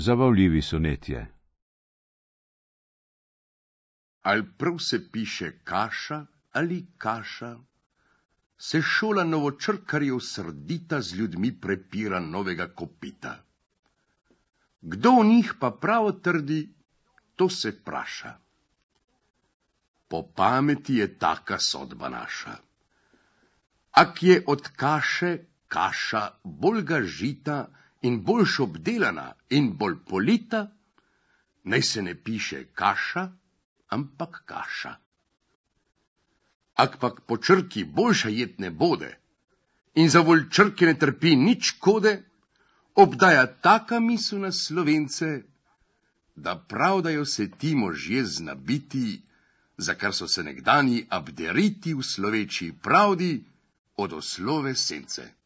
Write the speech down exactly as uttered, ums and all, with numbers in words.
Zabavljivi sonetje. Ali prav se piše kaša ali kaša, se šola novočrkarjev srdita z ljudmi prepira novega kopita. Kdo v njih pa prav trdi, to se praša. Po pameti je taka sodba naša. Ak je od kaše kaša boljga žita in boljš obdelana in bolj polita, naj se ne piše kaša, ampak kaša. Ak pak po črki boljša jed ne bode in za volj črke ne trpi nič kode, obdaja taka misel na Slovence, da pravdajo se ti možje znabiti, za kar so se nekdani abderiti v sloveči pravdi od oslove sence.